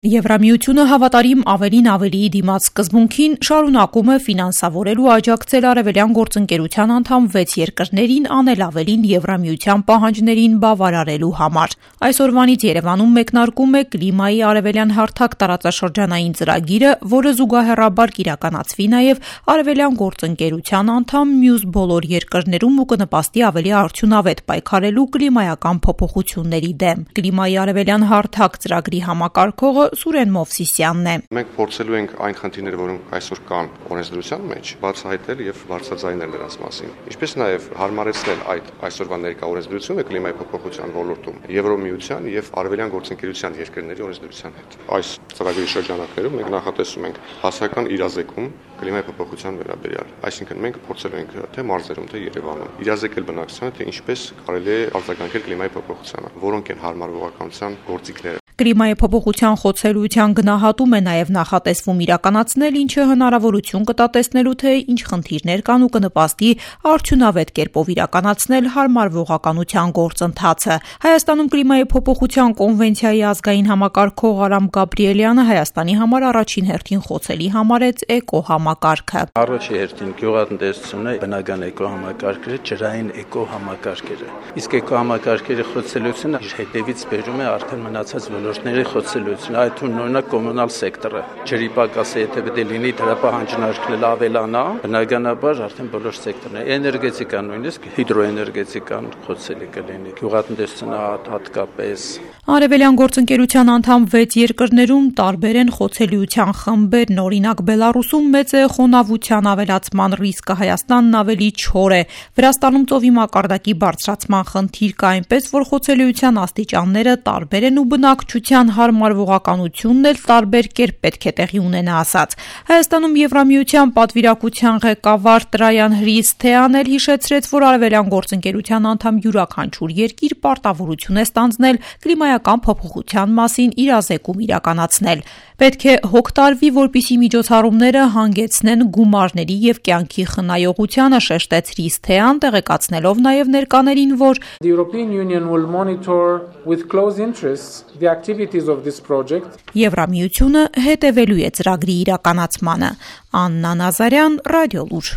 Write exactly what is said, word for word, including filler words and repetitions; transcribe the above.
Եվրամիությունը հավատարիմ ավելին ավելիի դիմաց սկզբունքին շարունակում է ֆինանսավորել ու աջակցել Արևելյան գործընկերության անդամ վեց երկրներին անել ավելին Եվրամիության պահանջներին բավարարելու համար։ Այսօրվանից Երևանում մեկնարկում է կլիմայի արևելյան հարթակ տարածաշրջանային ծրագիրը, որը զուգահեռաբար կիրականացվի նաև Արևելյան գործընկերության անդամ մյուս բոլոր երկրներում ու կնպաստի ավելի արդյունավետ պայքարելու կլիմայական փոփոխությունների դեմ։ Կլիմայի արևելյան հարթակ ծրագրի համակարգողը Սուրեն Մովսիսյանն է։ Մենք փորձելու ենք այն խնդիրները, որոնք այսօր կան օրենսդրության մեջ, բարձրահայտել եւ բարձրաձայնել նրանց մասին։ Ինչպես նաեւ հարմարեցնել այդ այսօրվա ներկա օրենսդրությունը կլիմայի փոփոխության ոլորտում Եվրոմիության եւ Արևելյան գործընկերության երկրների օրենսդրության հետ։ Այս ծրագրի շրջանակներում մենք նախատեսում ենք հասարակական իրազեկում կլիմայի փոփոխության վերաբերյալ։ Այսինքն մենք փորձելու ենք թե մարզերում, թե Երևանում իրազեկել բնակչությանը, թե ինչպես կարելի է արձագանքել կլիմայի փոփոխությանը, որոնք են հարմարվողականության գործիքները։ Կլիմայի փոփոխության խոցելիության գնահատում է նաև նախատեսվում իրականացնել, ինչը հնարավորություն կտա տեսնելու, թե ինչ խնդիրներ կան ու կնպաստի արդյունավետ կերպով իրականացնել հարմարվողականության գործընթացը։ Հայաստանում կլիմայի փոփոխության կոնվենցիայի ազգային համակարգող Արամ Գաբրիելյանը Հայաստանի համար առաջին հերթին խոցելի համարեց էկո համակարգը։ Առաջի հերթին գյուղատնտեսությունը, բնական էկո համակարգերը, ջրային էկո համակարգերը։ Իսկ էկո համակարգերի խոցելիությունը հետևից բերում է արդեն մնացած ոլորտների խոցելիություն, այդ թվում օրինակ կոմունալ սեկտորը, ջրի պակասը եթե պետք է լինի դրա պահանջարկն ավելանա, բնականաբար արդեն բոլոր սեկտորները, էներգետիկան նույնիսկ հիդրոէներգետիկան խոցելի կլինի, գյուղատնտեսությունը հատկապես։ Արևելյան գործընկերության անդամ վեց երկրներում տարբեր են խոցելիության խմբերն, օրինակ Բելարուսում մեծ է խոնավության ավելացման ռիսկը, Հայաստանն ավելի չոր է, Վրաստանում ծովի մակարդակի բարձրացման խնդիր կա, այնպես որ խոցելիության աստիճանները տարբեր են ու բնակչության հարմարվողականությունն էլ տարբեր կերպ պետք է տեղի ունենա ասած։ Հայաստանում Եվրամիության պատվիրակության ղեկավար Տրայան Հրիսթեան էլ հիշեցրեց, որ Արևելյան գործընկերության անդամ յուրաքանչյուր երկիր պարտավորություն է ստանձնել կլիմայական փոփոխության մասին իրազեկում իրականացնել։ Պետք է հոգ տարվի, որպեսզի միջոցառումները հանգեցնեն գումարների եւ կյանքի խնայողությանը, շեշտեց Հրիսթեան, տեղեկացնելով նաեւ ներկաներին, որ The European Union will monitor with close interest the activities of this project. Եվրամիությունը հետևելու է ծրագրի իրականացմանը։ Աննա Նազարյան, Ռադիոլուր։